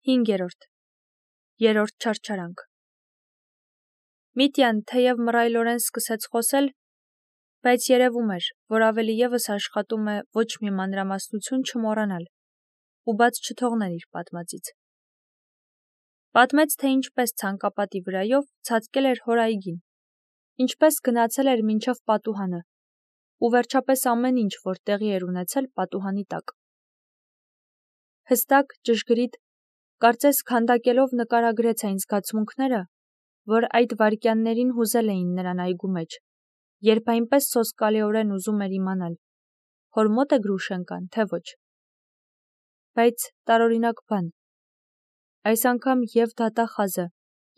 5. Երրորդ չարչարանք։ Միտյան թեև մռայլորեն սկսեց խոսել, բայց երևում էր, որ ավելի ևս աշխատում է ոչ մի մանրամասնություն չմոռանալ ու բաց չթողնել իր պատմածից։ Պատմեց, թե ինչպես ցանկապատի վրայով ցածկել էր հոր այգին, ինչպես գնացել էր մինչև պատուհանը ու վերջապես ամեն ինչ, որ տեղի էր ունեցել պատուհանի տակ։ Հստակ, ճշգրիտ, կարծես քանդակելով նկարագրեց այն զգացմունքները, որ այդ վայրկյաններին հուզել էին նրան այգու մեջ, երբ այնպես սոսկալիորեն ուզում էր իմանալ, հոր մոտ է Գրուշենկան, թե ոչ։ Բայց տարօրինակ բան, այս անգամ և դատախազը,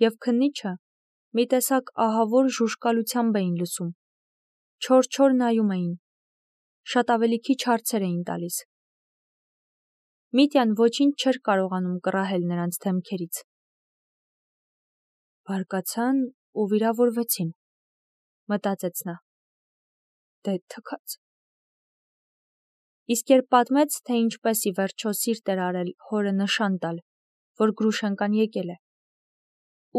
և քննիչը մի տեսակ ահավոր ժուժկալությամբ էին լսում, չոր նայում էին, շատ ավելի քիչ հարցեր էին տալիս։ Միտյան ոչինչ չէր կարողանում կռահել նրանց դեմքերից։ Բարկացան ու վիրավորվեցին, մտածեց նա։ Դե թքած։ Իսկ երբ պատմեց, թե ինչպես ի վերջո սիրտ էր արել հորը նշան տալ, որ Գրուշենկան եկել է,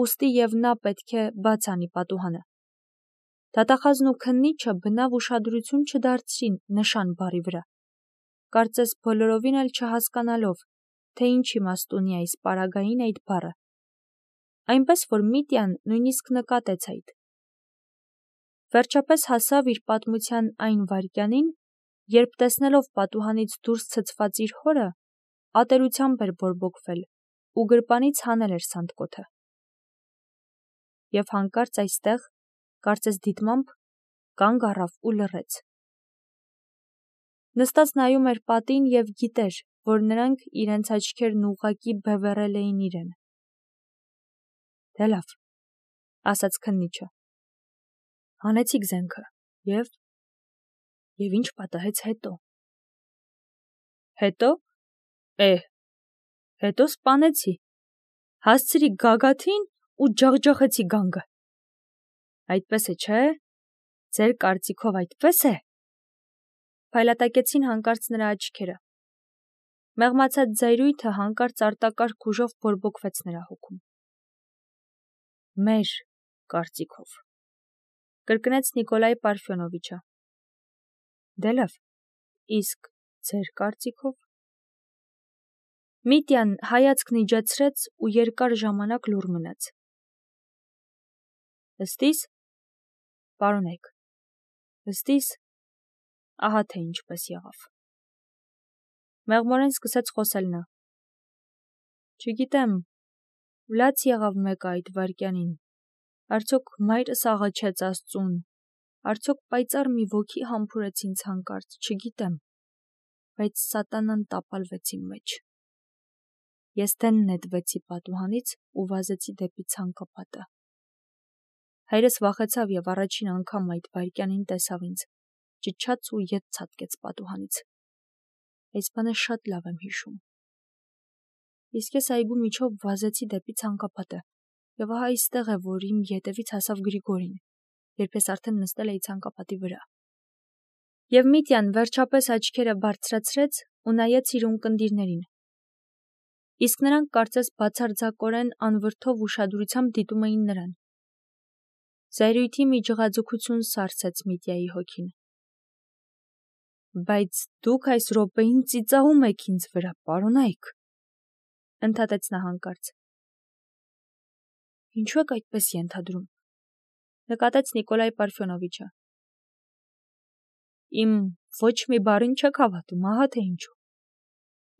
ուստի և նա պետք է բաց անի պատուհանը, դատախազն ու քննիչը բնավ ուշադրություն չդարձրին նշան բառի վրա, կարծես բոլորովին էլ չհասկանալով, թե ինչ իմաստ ունի այս պարագային այդ բառը, այնպես որ Միտյան նույնիսկ նկատեց այդ։ Վերջապես հասավ իր պատմության այն վայրկյանին, երբ տեսնելով պատուհանից դուրս ցցված իր հորը, ատելությամբ էր բորբոքվել ու գրպանից հանել էր սանդկոթը։ Եվ հանկարծ այստեղ, կարծես դիտմամբ, կանգ առավ ու լռեց։ Նստած նայում էր պատին և գիտեր, որ նրանք իրենց աչքերն ուղղակի բևեռել էին իրեն։ Դե լավ, ասաց քննիչը։ Հանեցիք զենքը, և ինչ պատահեց հետո։ Հետո։ Հետո սպանեցի, հասցրի գագաթին ու ջախջախեցի գանգը։ Այդպես է, չէ՞։ Ձեր կարծիքով այդպես է։ Փայլատակեցին հանկարծ նրա աչքերը։ Մեղմացած զայրույթը հանկարծ արտակարգ ուժով բորբոքվեց նրա հոգում։ Մեր կարծիքով, կրկնեց Նիկոլայ Պարֆյոնովիչը։ Դե լավ, իսկ ձեր կարծիքով։ Միտյան հայացքն իջեցրեց ու երկար ժամանակ լուռ մնաց։ Ըստիս, պարոնեք, ըստիս, ահա թե ինչպես եղավ։ Մեղմորեն սկսեց խոսել նա։ Չգիտեմ, լաց եղավ մեկը այդ վայրկյանին, արդյոք մայրս աղաչեց Աստծուն, արդյոք պայծառ մի ոգի համբուրեց ինձ հանկարծ, չգիտեմ, բայց սատանան տապալվեց իմ մեջ։ Ես դեն նետվեցի պատուհանից ու վազեցի դեպի ցանկապատը։ Հայրս վախեցավ և առաջին անգամ այդ վայրկյանին տեսավ ինձ, ճչաց ու ետ ցատկեց պատուհանից։ Այս բանը շատ լավ եմ հիշում։ Իսկ ես այգու միջով վազեցի դեպի ցանկապատը, և ահա այստեղ է, որ իմ ետևից հասավ Գրիգորին, երբ ես արդեն նստել էի ցանկապատի վրա։ Եվ Միտյան վերջապես աչքերը բարձրացրեց ու նայեց իր ունկնդիրներին։ Իսկ նրանք կարծես բացարձակորեն անվրդով ուշադրությամբ դիտում էին նրան։ Զայրույթի մի ջղաձգություն սառցեց Միտյայի հոգին։ Բայց դուք այս րոպեին ծիծաղում եք ինձ վրա, պարոնայք, ընդհատեց նա հանկարծ։ Ինչու եք այդպես ենթադրում, նկատեց Նիկոլայ Պարֆյոնովիչը։ Իմ ոչ մի բառին չեք հավատում, ահա թե ինչու։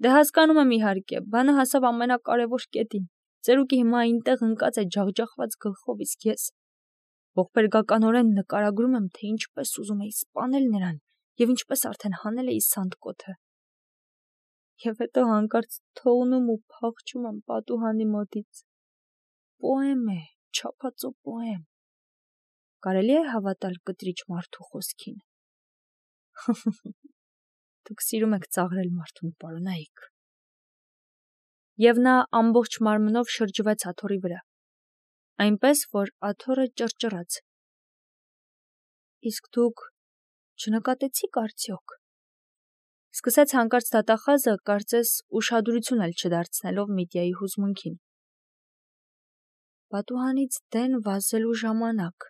Դե հասկանում եմ իհարկե, բանը հասավ ամենակարևոր կետին, ծերուկի հիմա այնտեղ ընկած է ջախջախված գլխով, իսկ ես ողբերգականորեն նկարագրում եմ, թե ինչպես ուզում էի սպանել նրան և ինչպես արդեն հանել էի սանդկոթը։ Եվ հետո հանկարծ թողնում ու փախչում եմ պատուհանի մոտից։ Պոեմ է, չափածո պոեմ։ Կարելի է հավատալ կտրիչ մարդու խոսքին։ Դուք սիրում եք ծաղրել մարդուն, պարոնայք։ Եվ նա ամբողջ մարմնով շրջվեց աթոռի վրա, այնպես, որ աթոռը ճռճռաց։ Իսկ դուք չնկատեցիք արդյոք։ Սկսեց հանկարծ դատախազը, կարծես ուշադրություն էլ չդարձնելով Միտյայի հուզմունքին։ Պատուհանից դեն վազելու ժամանակ։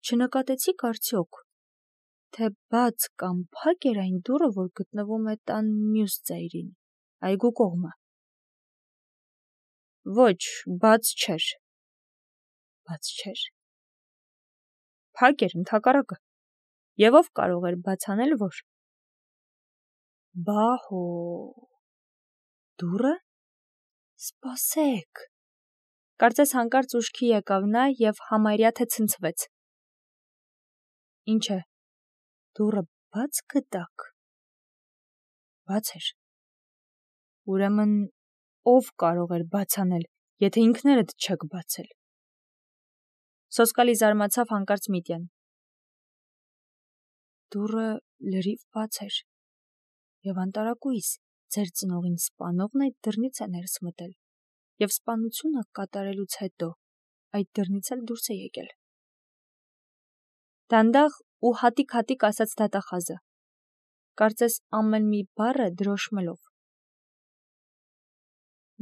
Չնկատեցիք արդյոք, թե բաց կամ փակ էր այն դուռը, որ գտնվում է տան մյուս ծայրին, այգու կողմը։ Ոչ, բաց չէր։ Բաց չէր։ Փակ էր ընդհակառակը։ Եվ ով կարող էր բաց անել, որ։ Բահո։ Դուռը։ Սպասեք։ Կարծես հանկարծ ուշքի եկավ նա եւ համարյա թե ցնցվեց։ Ինչ է։ Դուռը բաց գտաք։ Բաց էր։ Ուրեմն ով կարող էր բաց անել, եթե ինքներդ չեք բացել։ Սոսկալի զարմացավ հանկարծ Միտյան։ Դուռը լրիվ բաց էր։ Եվ անտարակույս ձեր ծնողին սպանողն այդ դռնից է ներս մտել, եւ սպանությունը կատարելուց հետո այդ դռնից էլ դուրս է եկել։ Դանդաղ ու հատիկ-հատիկ ասաց դատախազը, կարծես ամեն մի բառը դրոշմելով։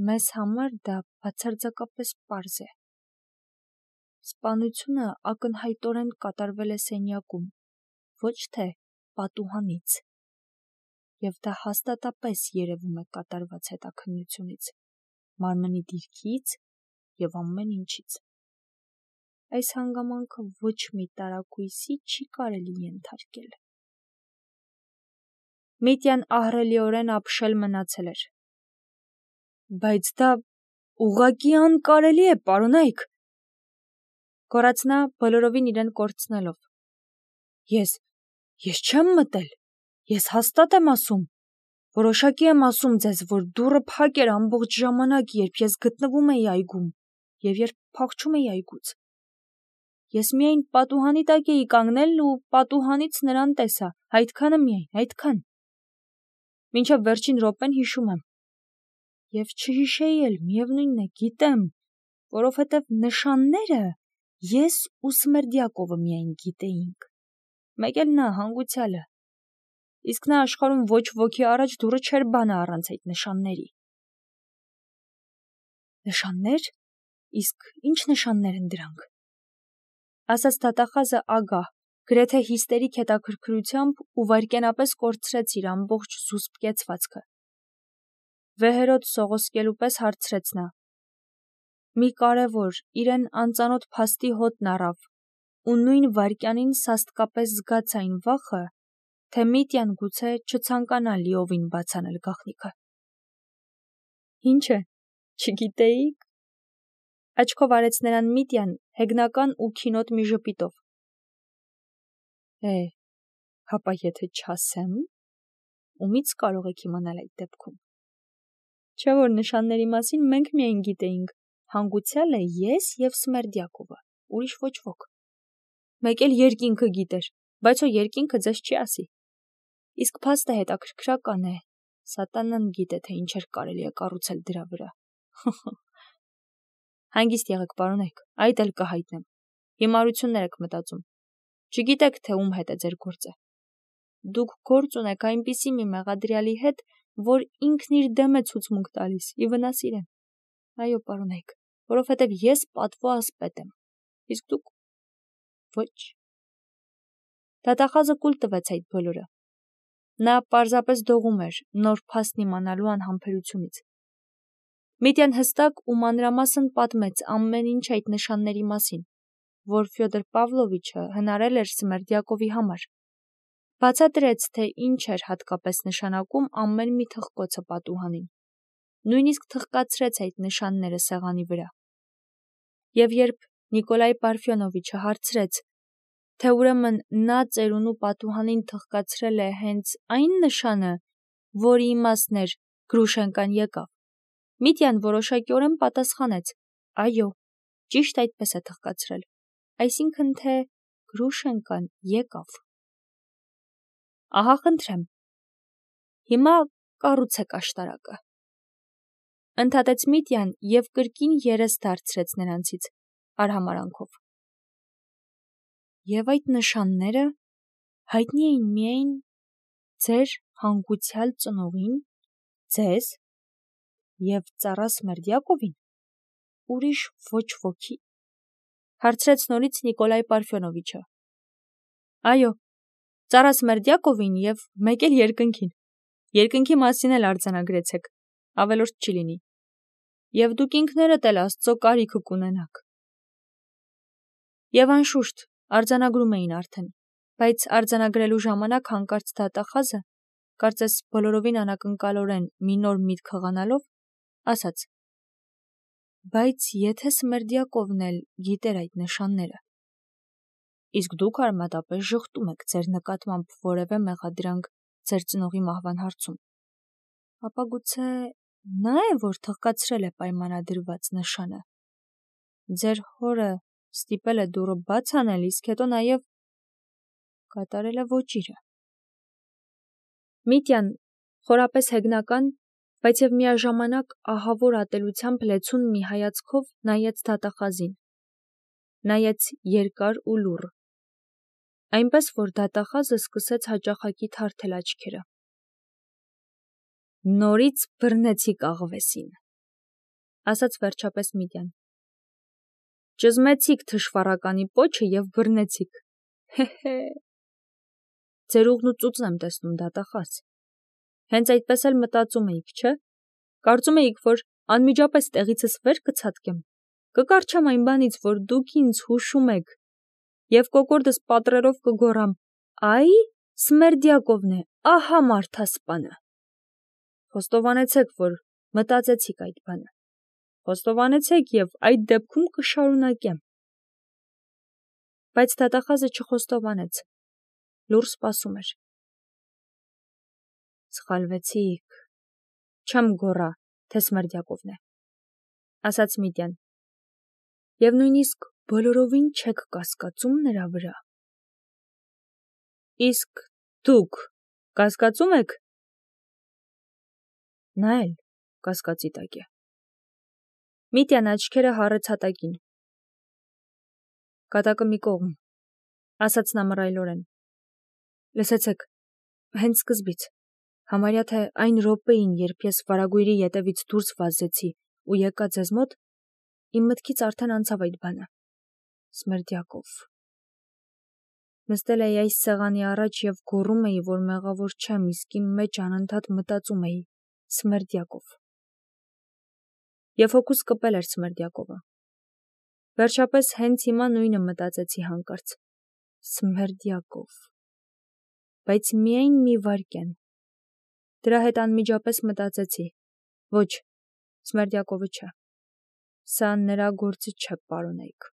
Մեզ համար դա բացարձակապես պարզ է։ Սպանությունը ակնհայտորեն կատարվել է սենյակում, ոչ թե պատուհանից, եւ դա հաստատապես երևում է կատարված հետաքննությունից, մարմնի դիրքից եւ ամեն ինչից։ Այս հանգամանքը ոչ մի տարակույսի չի կարելի ենթարկել։ Միտյան ահռելիորեն ապշել մնացել էր։ Բայց դա ուղղակի անկարելի է, պարոնայք, գոռաց նա բոլորովին իրեն կորցնելով։ Ես չեմ մտել, ես հաստատ եմ ասում, որոշակի եմ ասում ձեզ, որ դուռը փակ էր ամբողջ ժամանակ, երբ ես գտնվում էի այգում եւ երբ փախչում էի այգուց։ Ես միայն պատուհանի տակ էի կանգնել ու պատուհանից նրան տեսա, այդքանը միայն, այդքան։ Մինչև վերջին րոպեն հիշում եմ։ Եվ չհիշեի էլ, միևնույնն է, գիտեմ, որովհետև նշանները ես ու Սմերդյակովը միայն գիտեինք։ Մեկ էլ նա հանգուցյալը։ Իսկ նա աշխարհում ոչ ոքի առաջ դուռը չէր բանա առանց այդ նշանների։ Նշաններ։ Իսկ ինչ նշաններ են դրանք։ Ասաց դատախազը ագահ, գրեթե հիստերիկ հետաքրքրությամբ ու վայրկենապես կորցրեց իր ամբողջ զուսպ կեցվածքը։ Վեհերոտ սողոսկելու պես հարցրեց նա։ Մի կարևոր, իրեն անծանոթ փաստի հոտն առավ, ու նույն վայրկյանին սաստկապես զգաց այն վախը, թե Միտյան գուցե չցանկանա լիովին բաց անել գաղտնիքը։ Ինչ է, չգիտեիք։ Աչքով արեց նրան Միտյան հեգնական ու քինոտ մի ժպիտով։ Հապա եթե չասեմ, ումից կարող եք իմանալ այդ դեպքում։ Չէ՞ որ նշանների մասին մենք միայն գիտեինք, հանգուցյալը ես եւ Սմերդյակովը, ուրիշ ոչ ոք։ Մեկ էլ երկինքը գիտեր, բայց ո երկինքը ձեզ չի ասի։ Իսկ փաստը հետաքրքրական է, սատանան գիտե, թե ինչեր կարելի է կառուցել դրա վրա։ Հանգիստ եղեք, պարոնայք, այդ էլ կհայտնեմ։ Հիմարություններ եք մտածում։ Չգիտեք, թե ում հետ է ձեր գործը։ Դուք գործ ունեք այնպիսի մի մեղադրյալի հետ, որ ինքն իր դեմ է ցուցմունք տալիս, ի վնաս իրեն։ Այո, պարոնայք, որովհետև ես պատվո ասպետ եմ։ Իսկ դուք ոչ։ Դատախազը կուլ տվեց այդ բոլորը։ Նա պարզապես դողում էր նոր փաստն իմանալու անհամբերությունից։ Միտյան հստակ ու մանրամասն պատմեց ամեն ինչ այդ նշանների մասին, որ Ֆյոդոր Պավլովիչը հնարել էր Սմերդյակովի համար։ Բացատրեց, թե ինչ էր հատկապես նշանակում ամեն մի թխկոցը պատուհանին։ Նույնիսկ թխկացրեց այդ նշանները սեղանի վրա։ Եվ երբ Նիկոլայ Պարֆյոնովիչը հարցրեց, թե ուրեմն նա ծերունու պատուհանին թխկացրել է հենց այն նշանը, որի իմաստն էր Գրուշենկան եկավ, Միտյան որոշակիորեն պատասխանեց. այո, ճիշտ այդպես է թխկացրել, այսինքն թե Գրուշենկան եկավ։ Ահա խնդրեմ, հիմա կառուցեք աշտարակը։ Ընդհատեց Միտյան եւ կրկին երես դարձրեց նրանցից արհամարանքով։ Եվ այդ նշանները հայտնի էին միայն ձեր հանգուցյալ ծնողին, ձեզ և ծառա Սմերդյակովին, ուրիշ ոչ ոքի, հարցրեց նորից Նիկոլայ Պարֆյոնովիչը։ Այո, ծառա Սմերդյակովին և մեկ էլ երկնքին։ Երկնքի մասին էլ արձանագրեցեք, ավելորդ չի լինի։ Եվ դուք ինքներդ էլ Աստծո կարիքը կունենաք։ Եվ անշուշտ, արձանագրում էին արդեն, բայց արձանագրելու ժամանակ հանկարծ դատախազը, կարծես բոլորովին անակնկալորեն մի նոր միտք հղանալով, ասաց. Բայց եթե Սմերդյակովն էլ գիտեր այդ նշանները, իսկ դուք արմատապես ժխտում եք ձեր նկատմամբ որևէ մեղադրանք ձեր ծնողի մահվան հարցում, ապա գուցե նա է, որ թղկացրել է պայմանադրված նշանը։ Ձեր հորը ստիպել է դուռը բաց անել, իսկ հետո նաև կատարել է ոճիրը։ Միտյան խորապես հեգնական, բայց և միաժամանակ ահավոր ատելությամբ լեցուն մի հայացքով նայեց դատախազին։ Նայեց երկար ու լուռ, այնպես որ դատախազը սկսեց հաճախակի թարթել աչքերը։ Նորից բռնեցիք աղվեսին, ասաց վերջապես Միտյան։ Ճզմեցիք թշվառականի պոչը և բռնեցիք։ Հե։ Ձեր ուղն ու ծուծն եմ տեսնում, դատախազ։ Հենց այդպես էլ մտածում էիք, չէ՞։ Կարծում էիք, որ անմիջապես տեղիցս վեր կցատկեմ, կկառչեմ այն բանից, որ դուք ինձ հուշում եք, և կոկորդս պատռերով կգոռամ. Այ, Սմերդյակովն է, ահա մարդասպանը։ Խոստովանեցեք, որ մտածեցիք այդ բանը։ Խոստովանեցեք և այդ դեպքում կշարունակեմ։ Բայց դատախազը չխոստովանեց, լուռ սպասում էր։ Սխալվեցիք, չեմ գոռա, թե Սմերդյակովն է, ասաց Միտյան, և նույնիսկ բոլորովին չեք կասկածում նրա վրա։ Իսկ դուք կասկածում եք։ Նա էլ կասկածի տակ է։ Միտյան աչքերը հառեց հատակին։ Կատակը մի կողմ, ասաց նա մռայլորեն։ Լսեցեք, հենց սկզբից, համարյա թե այն րոպեին, երբ ես վարագույրի ետևից դուրս վազեցի ու եկա ձեզ մոտ, իմ մտքից արդեն անցավ այդ բանը։ Սմերդյակով։ Նստել էի այս սեղանի առաջ և գոռում էի, որ մեղավոր չեմ, իսկ իմ մեջ անընդհատ մտածում էի. Սմերդյակով։ Եվ հոգուս կպել էր Սմերդյակովը։ Վերջապես հենց հիմա նույնը մտածեցի հանկարծ. Սմերդյակով։ Բայց միայն մի վայրկյան։ Դրա հետ անմիջապես մտածեցի. ոչ, Սմերդյակովը չէ։ Սա նրա գործը չէ, պարոնայք։